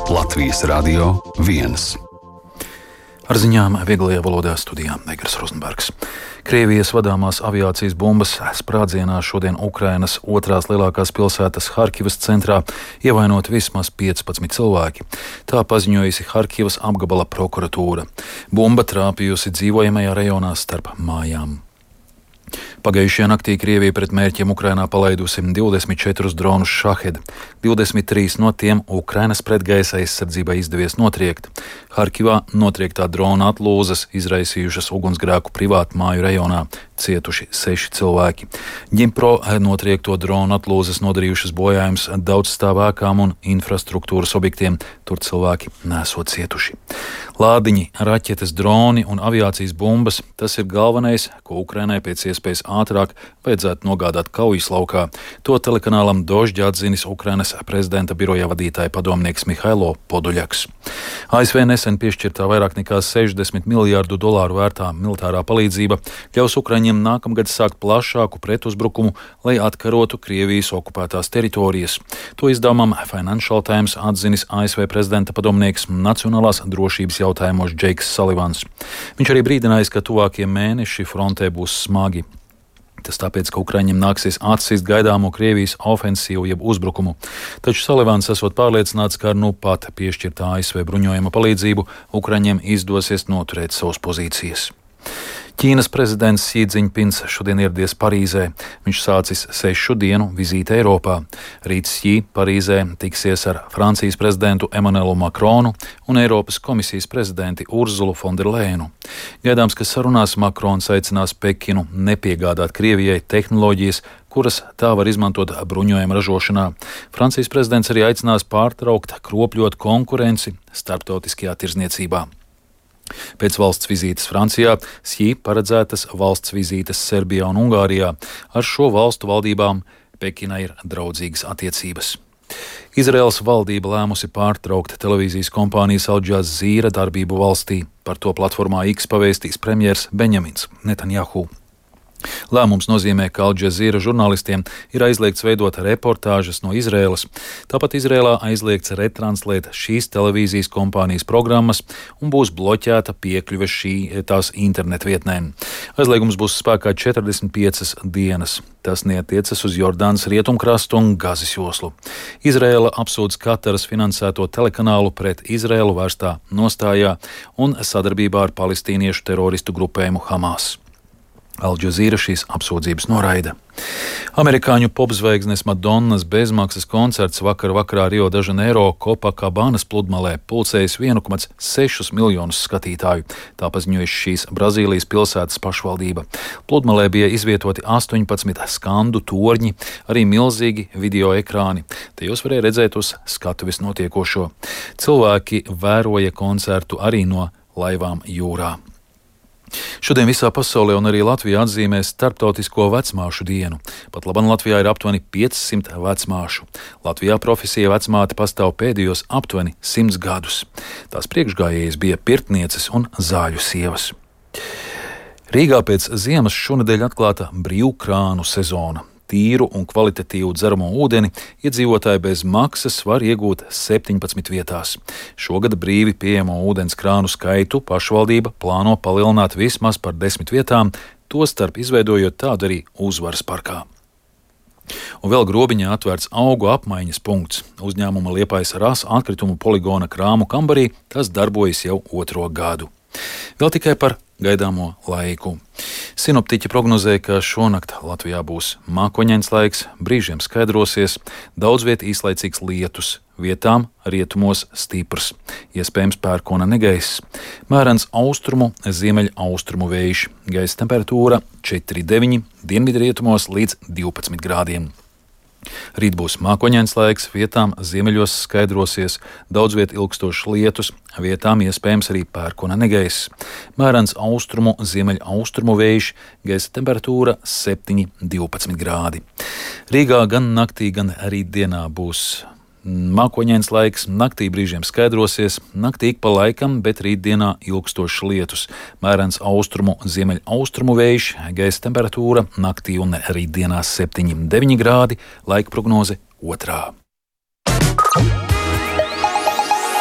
Latvijas Radio 1. Ar ziņām vieglajā valodā studijā Negras Rozenbergs. Krievijas vadāmās aviācijas bumbas sprādzienā šodien Ukrainas otrās lielākās pilsētas Harkivas centrā ievainot vismaz 15 cilvēki. Tā paziņojusi Harkivas apgabala prokuratūra. Bumba trāpījusi dzīvojamajā rajonā starp mājām. Pagājušajā naktī Krievija pret mērķiem Ukrainā palaidusi 24 dronus Šahed. 23 no tiem Ukrainas pretgaisa aizsardzībai izdevies notriekt. Harkivā notriektā drona atlūzas izraisījušas ugunsgrēku privātu māju rajonā, cietuši 6 cilvēki. Ģimpro notriekto dronu atlūzas nodarījušas bojājumus daudzstāvēkām un infrastruktūras objektiem, tur cilvēki nesot cietuši. Lādiņi, raķetes, droni un aviācijas bumbas – tas ir galvenais, ko Ukrainai pēc iespējas ātrāk vajadzētu nogādāt kaujas laukā. To telekanālam Dožģa atzinis Ukrainas prezidenta biroja vadītāja padomnieks Mihailo Podoļaks. ASV nesen piešķirtā vairāk nekā $60 miljārdu vērtā militārā palīdzība ļaus Ukraiņiem nākamgad sākt plašāku pretuzbrukumu, lai atkarotu Krievijas okupētās teritorijas. To izdevumam Financial Times atzinis ASV prezidenta padomnieks nacionālās drošības jautājumos Džeiks Salivans. Viņš arī brīdinājis, ka tuvākie mēneši frontē būs smagi. Tas tāpēc, ka Ukraiņiem nāksies atsist gaidāmo Krievijas ofensīvu jeb uzbrukumu. Taču Salivans esot pārliecināts, ka ar nu pat piešķirtā ASV bruņojuma palīdzību Ukraiņiem izdosies noturēt savas pozīcijas. Ķīnas prezidents Xi Jinpings šodien ieradies Parīzē. Viņš sācis 6 dienu vizīti Eiropā. Rīt Xi Parīzē tiksies ar Francijas prezidentu Emmanuelu Macronu un Eiropas komisijas prezidenti Urzulu Fonderlejenu. Gaidāms, ka sarunās Macrons aicinās Pekinu nepiegādāt Krievijai tehnoloģijas, kuras tā var izmantot bruņojuma ražošanā. Francijas prezidents arī aicinās pārtraukt kropļot konkurenci starptautiskajā tirzniecībā. Pēc valsts vizītes Francijā Xi paredzētas valsts vizītes Serbijā un Ungārijā. Ar šo valstu valdībām Pekinai ir draudzīgas attiecības. Izraēlas valdība lēmusi pārtraukt televīzijas kompānijas Al Jazeera darbību valstī. Par to platformā X pavēstīs premjers Benjamins Netanjahu. Lēmums nozīmē, ka Al Jazeera žurnālistiem ir aizliegts veidot reportāžas no Izraēlas. Tāpat Izraēlā aizliegts retranslēt šīs televīzijas kompānijas programmas un būs bloķēta piekļuve tās internetu vietnēm. Aizliegums būs spēkā 45 dienas. Tas neatiecas uz Jordānas rietumkrastu un Gazas joslu. Izraēla apsūdz Kataras finansēto telekanālu pret Izraēlu vērstā nostājā un sadarbībā ar palestīniešu teroristu grupējumu Hamas. Al Jazeera šīs apsūdzības noraida. Amerikāņu popzvaigznes Madonnas bezmaksas koncerts vakarā Rio de Janeiro Copacabānas pludmalē pulcējis 1,6 miljonus skatītāju. Tā paziņojusi šīs Brazīlijas pilsētas pašvaldība. Pludmalē bija izvietoti 18 skandu torņi, arī milzīgi video ekrāni. Tajos varēja redzēt uz skatuves notiekošo. Cilvēki vēroja koncertu arī no laivām jūrā. Šodien visā pasaulē un arī Latvijā atzīmē Starptautisko vecmāšu dienu. Pat laban Latvijā ir aptuveni 500 vecmāšu. Latvijā profesija vecmāte pastāv pēdējos aptuveni 100 gadus. Tās priekšgājējas bija pirtnieces un zāļu sievas. Rīgā pēc ziemas šonedēļ atklāta brīvkrānu sezona. Tīru un kvalitatīvu dzeramo ūdeni iedzīvotāji bez maksas var iegūt 17 vietās. Šogad brīvi pieejamo ūdens krānu skaitu pašvaldība plāno palielināt vismaz par 10 vietām, tostarp izveidojot tādu arī Uzvaras parkā. Un vēl Grobiņā atvērts augu apmaiņas punkts. Uzņēmuma Liepājas Rasa atkritumu poligona krāmu kambarī tas darbojas jau 2. gadu. Vēl tikai par gaidāmo laiku. Sinoptiķi prognozē, ka šonakt Latvijā būs mākoņains laiks, brīžiem skaidrosies, daudz viet īslaicīgs lietus, vietām rietumos stiprs, iespējams pērkona negaiss, mērens austrumu, ziemeļaustrumu vējš, gaisa temperatūra 4,9, dienvidrietumos līdz 12 grādiem. Rīt būs mākoņains laiks, vietām ziemeļos skaidrosies, daudz viet ilgstošs lietus, vietām iespējams arī pērkona negaiss. Mērens austrumu, ziemeļaustrumu vējš, gaisa temperatūra 7,12 grādi. Rīgā gan naktī, gan rītdienā būs mākoņains laiks, naktī brīžiem skaidrosies, naktī ik pa laikam, bet rītdienā ilgstošs lietus. Mērens austrumu, ziemeļaustrumu vējš, gaisa temperatūra naktī un rītdienā 7,9 grādi, laika prognoze 2.